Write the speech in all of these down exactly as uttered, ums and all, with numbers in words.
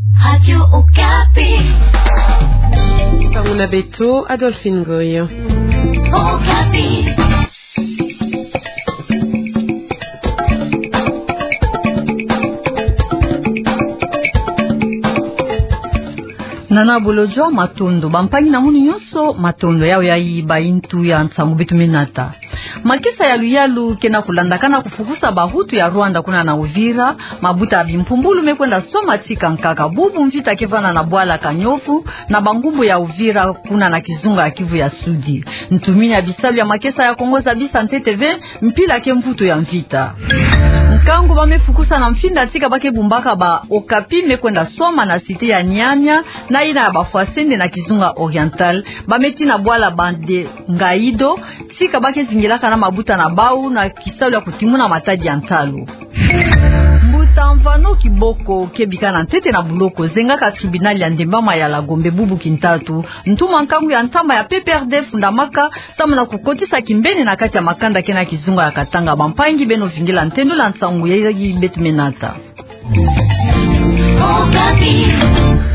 Radio Okapi. Ntangu na beto, Adolphine Ngoy. Okapi. Nana Bolodjwa, matondo. Bampangi na munu nyonso, matondo. Yawe yayi bayintu ya nsangu beto me nata. Makesa ya luyalu ke na kulandakana kufukusa bahutu ya Rwanda kuna na Uvira. Mabuta ya bimpumbulu me kwenda swama tika nkaka bubu mvita ke vanda na bwala Kanyovu na bangumbu ya Uvira kuna na kizunga ya Kivu ya Sudi. Ntumini ya bisalu ya makesa ya Kongo zabisa ntete ve mpila ke mvutu ya mvita. Nkangu ba me fukusa na mfinda tika ba ke bumbaka ba Okapi me kwenda swama na cité ya Nyanya na yina ya ba Fwasende na kizunga Oriental. Ba me tina bwala Bande Ngaido, tika ba ke zingilaka na mabuta na bau na kisalu ya kutimuna matadi ya ntalu. Mbuta Mvano Kiboko ke bika na ntete na buloko zengaka tribunal ya Ndembama ya la Gombe bubu kintatu. Ntuma nkangu ya ntama ya P P R D fundamaka samu na kukotisa kimbeni na kati ya makanda ke na kizunga ya Katanga. Bampangi, beno vingila ntendula nsangu yayi beto me nata.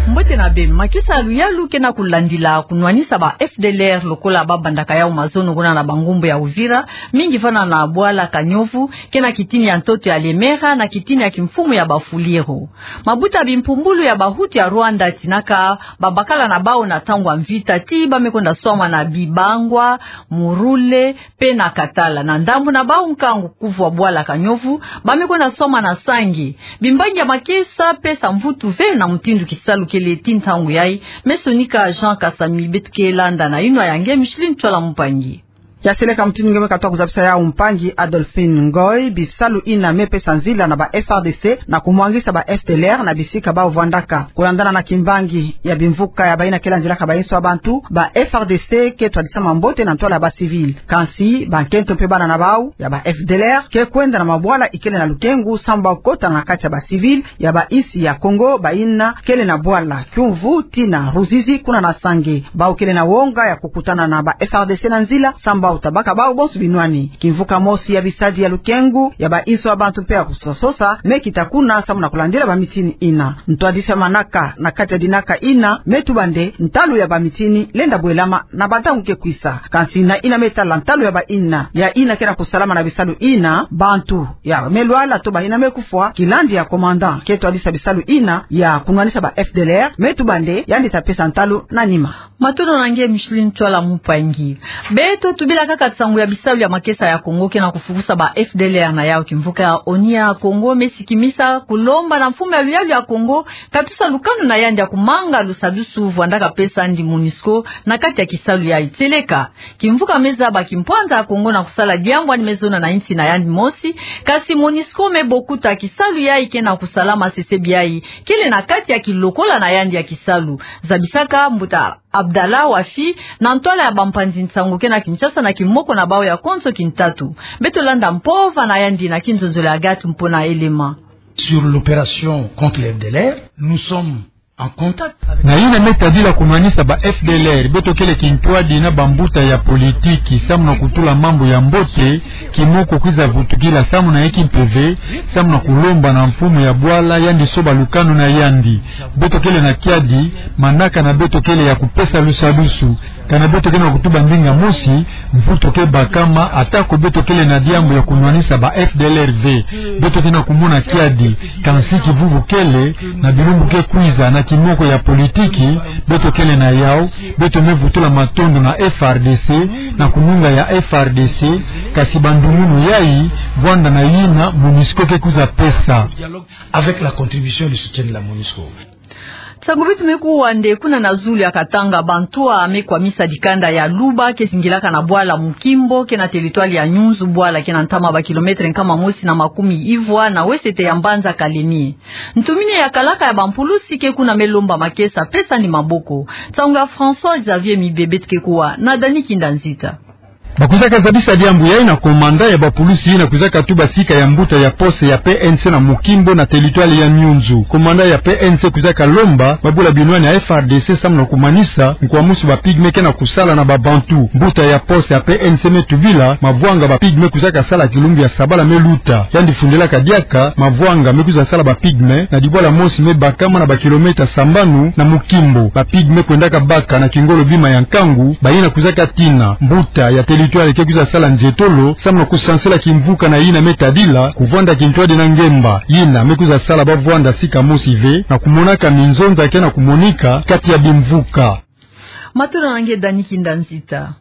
Mbote na beno. Makesa ya luyalu ke na kulandila kunwanisa ba F D L R lokola ba bandaka yau mazono kuna na bangumbu ya Uvira, mingi vanda na bwala Kanyovu, ke na kitini ya ntoto ya Lemera, na kitini ya kimfumu ya ba Fuliru. Mabuta bimpumbulu ya bahutu ya Rwanda tinaka babakala na bau na ntangu ya mvita ti ba me kwenda swama na Bibangwa, Murule, pe na Katala. Na ndambu na bau nkangu kuvwa bwala Kanyovu, ba me kwenda swama na Sange. Bimbangi ya makesa pesa mvutu ve na mutindu kisalu kele ti ntangu yayi. Me sonika Jean Kasami beto ke landa na yinwa ya nge Micheline Twala Mpangi. Ya seleka mutindu nge me katuka kuzabisa yau mpangi Adolphine Ngoy, bisalu yina me pesa nzila na ba F R D C na kumwangisa ba F D L R na bisika bau vwandaka. Kulandana na kimbangi ya bimvuka ya bayina ke landilaka bayinsi ya bantu, ba F R D C ke twadisa mambote na ntwala ya ba civil. Kansi, bankento mpe bana na bau ya ba F D L R ke kwenda na mabwala ikele na lukengu samu bau kota na kati ya ba civil ya ba insi ya Kongo, bayina kele na bwala Kiumvu tii na Ruzizi kuna na Sange. Bau kele na wonga ya kukutana na ba F R D C na nzila samu bau ta baka bau bonso binwani. Kimvuka mosi ya bisadi ya lukengu ya bayinsi ya bantu mpe ya kusosa sosa me kita kuna samu na kulandila ba mitini yina. Ntwadisi ya manaka na kati ya dinaka yina me tuba nde ntalu ya ba mitini lenda bwelama na bantangu ke kwisa. Kansi na yina me tala ntalu ya bayina, ya yina ke na kusalama na bisalu yina, bantu ya me lwala to bayina me kufwa, kilandi ya commandant ke twadisa bisalu yina ya kunwanisa ba F D L R me tuba nde yandi ta pesa ntalu na nima. Matondo na nge Micheline Twala Mpangi. Beto tubila kaka nsangu ya bisalu ya makesa ya Kongo ke na kufukusa ba F D L R na yau. Kimvuka ya ONU ya Kongo me sikimisa kulomba na mfumu ya luyalu ya Kongo katusa lukanu na yandi ya kumanga lusadusu vwandaka pesa yandi MONUSCO na kati ya kisalu yayi. Tieleka, kimvuka me zaba kimpwanza ya Kongo na kusala diambu yandi me zona na insi na yandi mosi, kansi MONUSCO me bokuta kisalu yayi ke na kusalama, sesebi yayi kele na kati ya kilokola na yandi ya kisalu. Zabisaka mbuta Abdallah Wafi na ntwala ya bampanzi nsangu ke na Kinshasa na kimoko na bau ya konso kintatu. Beto landa mpova na yandi na kinzonzolo ya Agathe Mpona Elema. Sur l'opération contre les F D L R, nous sommes en contact avec... Na yina me tadila kunwanisa ba F D L R, beto kele kintwadi na bambuta ya politiki samu na kutula mambu ya mbote, kimoko kwiza vutukila samu na eki mpeve, samu na kulomba na mfumu ya bwala yandi soba lukanu na yandi. Beto kele na kiadi, manaka na beto kele ya kupesa lusadusu. Kana beto ke na kutuba ndinga mosi, mvutu ke bakama, atako beto kele na diambu ya kunwanisa ba F D L R ve. Beto ke na kumona kiadi, kansi kivuvu kele, na bilumbu ke kwiza na kimoko ya politiki beto kele na yau, beto me vutula matondo na F R D C, na kununga ya F R D C, kansi bandumunu yayi, vwanda na yina MONUSCO ke kwiza pesa. Avec la contribution et le soutien de la MONUSCO. Nsangu beto me kuwa nde kuna na zulu ya Katanga, bantu a me kwamisa dikanda ya Luba ke zingilaka na bwala Mukimbo, ke na territoire ya Nyunzu, bwala ke na ntama ba kilomètre nkama mosi na makumi ivwa na wesete ya mbanza Kalemie. Ntumini ya kalaka ya bampulusi ke kuna me lomba makesa pesa yandi maboko. Nsangu ya François Xavier Mibe beto ke kuwa na Dani Kinda Nzita. Bakwizaka zabisa diambu yayi na komanda ya bapulusi yina kwizaka tuba sika ya mbuta ya poste ya P N C na Mukimbo na territoire ya Nyunzu. Komanda ya P N C kwizaka lomba babula binwani ya F R D C samu na kumanisa nkwa musi ba pygmées ke na kusala na ba Bantu. Mbuta ya poste ya P N C me tubila mavwanga ba pygmées kwizaka sala kilumbu ya sabala me luta. Yandi fundilaka diaka mavwanga me kwiza sala ba pygmées na dibwala mosi me bakama na ba kilomètre sambanu na Mukimbo. Ba pygmées kwendaka baka na kingolo bima ya nkangu, bayina kwizaka tina mbuta ya territoire ke kwiza sala nzietolo samu na kusansila kimvuka na yina me tadila kuvwanda kintwadi na ngemba. Yina me kwiza sala bavwanda sika mosi ve na kumonaka minzonza ke na kumonika kati ya bimvuka. Matondo na nge Dani Kinda Nzita.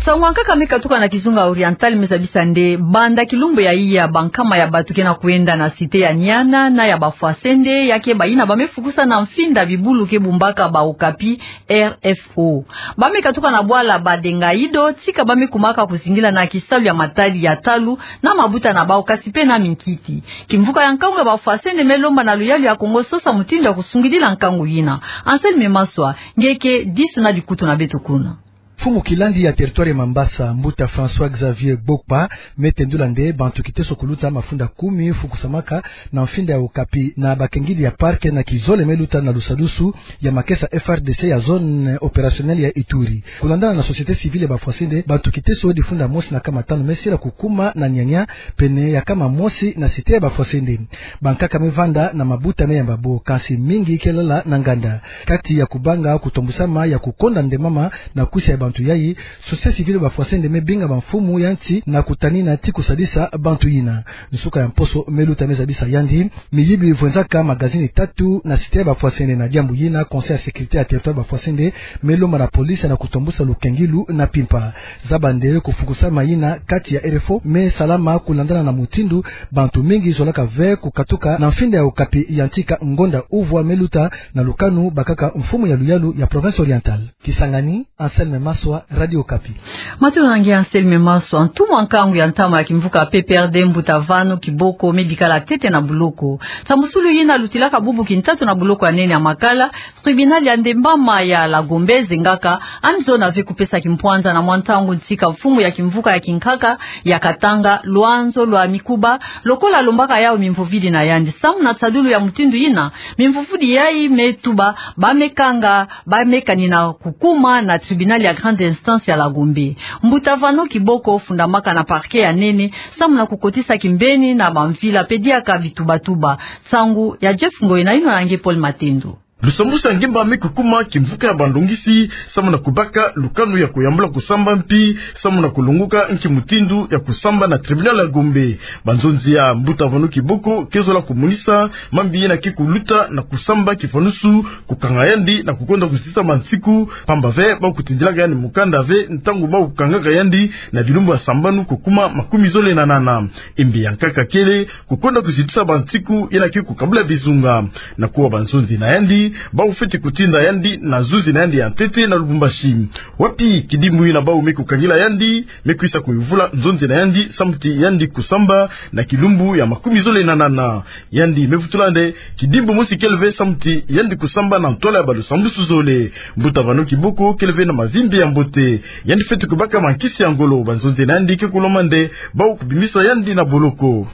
Nsangu ya nkaka me katuka na kizunga Oriental me zabisa nde banda kilumbu ya iya, bankama ya bantu ke na kwenda na cité ya Niana na ya Bafwasende, ya ke bayina ba me fukusa na mfinda bibulu ke bumbaka ba Okapi R F O. Ba me katuka na bwala Badengaido, tika ba me kumaka kuzingila na kisalu ya matadi ya talu na mabuta na bawu, kasi pe na minkiti. Kimvuka ya nkangu ya Bafwasende me lomba na luyalu ya Kongo sosa mutindu ya kusungidila nkangu yina. Anselme Maswa, nge ke disu na dikutu na beto kuna. Mfumu kilandi ya territoire ya Mambasa, mbuta François Xavier Gbokpa, me tendula nde bantu kiteso kuluta mafunda kumi fukusamaka na mfinda ya Okapi na bakengidi ya parc na kizole me luta na lusadusu ya makesa F R D C ya zone opérationnelle ya Ituri. Kulandana na société civile ya Bafwasende, bantu kiteso difunda mosi na kama tanu me sila kukuma na Niania, pene ya kama mosi na cité ya Bafwasende. Bankaka me vanda na mabuta me yamba bo, kansi mingi ke lala na nganda. Kati ya kubanga kutombusama ya kukonda nde mama na kwisa ya bantu yayi, société civile ya Bafwasende me binga bamfumu ya nsi na kutanina ti kusadisa bantu yina. Nsuka ya mposo me luta me zabisa yandi miyibi vwenzaka magazini tatu na cité ya Bafwasende. Na diambu yina, Conseil ya sécurité ya territoire ya Bafwasende me lomba na police na kutombusa lukengilu na mpimpa. Zaba nde kufukusama yina kati ya R F O me salama kulandana na mutindu bantu mingi zolaka ve kukatuka na mfinda ya Okapi ya ntika ngonda uvwa me luta na lukanu, bakaka mfumu ya luyalu ya Province Orientale. Kisangani, Anselme Maswa, Radio Okapi. Matondo na nge Anselme Maswa. Ntumwa nkangu ya ntama ya kimvuka P P R D, mbuta Vano Kiboko, me bikala ntete na boloko. Nsambusulu yina lutilaka bubu kintatu na boloko ya nene ya Makala, tribunal ya ndembama ya La Gombe ezengaka, yandi zona ve kupesa kimpwanza na mwa ntangu ntika mfumu ya kimvuka ya kinkaka ya Katanga, Loanzo Lwamikuba, lokola alombaka yawu mimvovidi na yandi. Samu na nsadulu ya mutindu yina, mimvovidi yayi me tuba ba me kanga, ba me kanina kukuma na tribunal ya grande instance ya La Gombe. Mbuta Vano Kiboko fundamaka na parquet ya nene, samu na kukotisa kimbeni na bamvila pe diaka bitubatuba. Nsangu ya Jeff Ngoyi na yinwa na nge Paul Matendo. Lusambusu ya ngemba me kukuma kimvuka ya bandongisi, samu na kubaka lukanu ya kuyambula kusamba mpi samu na kulongoka nki mutindu ya kusamba na tribunal ya Gombe. Banzonzi ya mbuta Vano Kiboko ke zola kumonisa mambi yina ke kuluta na kusamba kifanusu, kukanga yandi na kukonda kuzitisa mansiku, pamba ve ba kutindilaka yandi mukanda ve ntangu ba kukangaka yandi na bilumbu ya sambanu kukuma makumi zole na nana. Imbi ya nkaka kele kukonda kuzitisa bansiku yina ke kukabula bizunga. Na kuwa banzonzi na yandi, ba kufweti kutinda yandi na zuzi na yandi ya ntete na Lubumbashi, wapi kidimbu yina ba kume kukangila yandi me kwisa kuyuvula nzonzi na yandi samu ti yandi kusamba na kilumbu ya makumi zole na nana. Yandi me vutula nde kidimbu mosi kele ve samu ti yandi kusamba na ntwala ya balusambusu zole. Mbuta Vano Kiboko kele ve na mavimbi ya mbote. Yandi fweti kubaka mankisi ya ngolo. Banzonzi na yandi ke kulomba nde ba kubimisa yandi na boloko.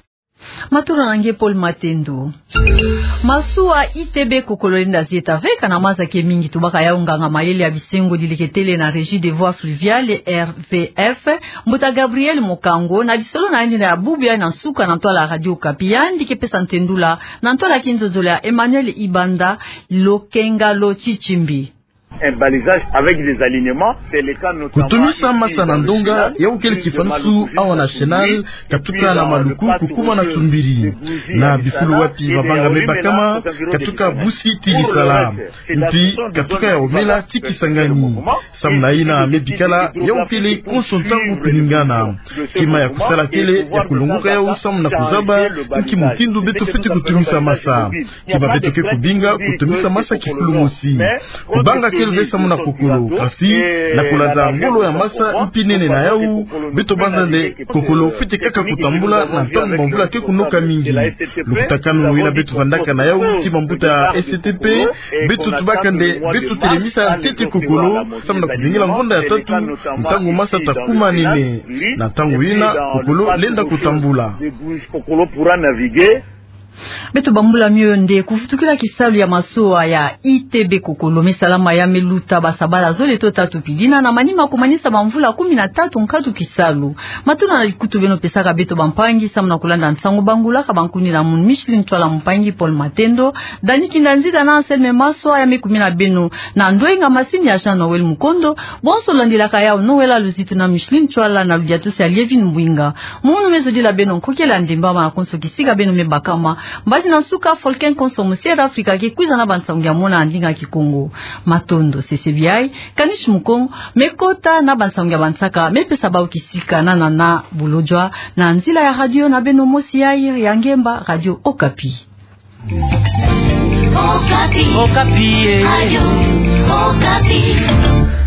Matondo na nge Paul Matendo. Masuwa I T B Kokololenda Zieta ve kana maza ke mingi, tubaka yawu nganga mayele ya bisengo dileketele na Régie des Voies Fluviales, R V F, mbuta Gabriel Mokango, na lisolo na yandi na ya bubu yayi na nsuka na ntwala ya Radio Okapi, yandi ke pesa ntendula na ntwala ya kinzonzolo ya Emmanuel Ibanda, Lokenga lo Tshitshimbi. Un balisage avec des alignements, c'est le cas notamment ici dans le Chenal, une de malochronique publique, et puis dans le Chenal, katuka na maluku kukuma na tsumbiri, na bifulu wapi mabanga me bakama, katuka busi ti Lisala, mpi katuka ya omela ti Kisangani. Samu na yina me bikala yawu kele konso ntangu kuningana. Kima ya kusala kele ya kulongoka yawu samu na kuzaba nki mutindu beto fweti kutumisa masa. Kima beto ke kubinga kutumisa masa kifulu mosi. Kubanga kele nge samu na kokolo. Kasi, na kulanda ngolo ya masa mpi nene na yau, beto banza nde kokolo fwete kaka kutambula na ntangu bamvula ke kunoka mingi. Lukutakanu yina beto vandaka na yau, ti bambuta ya S T P, beto tubaka nde, beto telemisa ntete kokolo, samu na kuzingila ngonda ya tatu, ntangu masa ta kuma nene. Na ntangu yina, kokolo lenda kutambula. Beto bambula mio nde kuvutukila kisalu ya masoa ya I T B kokolo me salama ya me luta basabala zole to tatu pili na, na manima kumanisa bamvula kumi na tatu nkatu kisalu. Matondo na likutu beno pesaka beto bampangi samu na kulanda nsangu bangula ka bankuni na munu Micheline Ntwala, mpangi Paul Matendo, Dani Kinda Nzita na Anselme Maswa ya me kumina beno na ndwenga masini ya Jean Noël Mukondo. Bonso landilaka yau Noël Luzitu na Micheline Ntwala na ludiatusi ya Lievine Mbwinga. Munu me zodila beno nkokela ndemba ma konso kisika beno me bakama. Mbadi na nsuka, Folken konso mu Sierra Afrika ke kwiza na bansangu ya mona ndinga Kikongo. Matondo, sese biai, Kanish Mukongo me kota na bansangu ya bansaka, me pesa bau kisika na nana bulojwa na nzila ya radio na beno mosi ya iri ya ngemba, Radio Okapi. Okapi. Okapi, eh. Radio Okapi.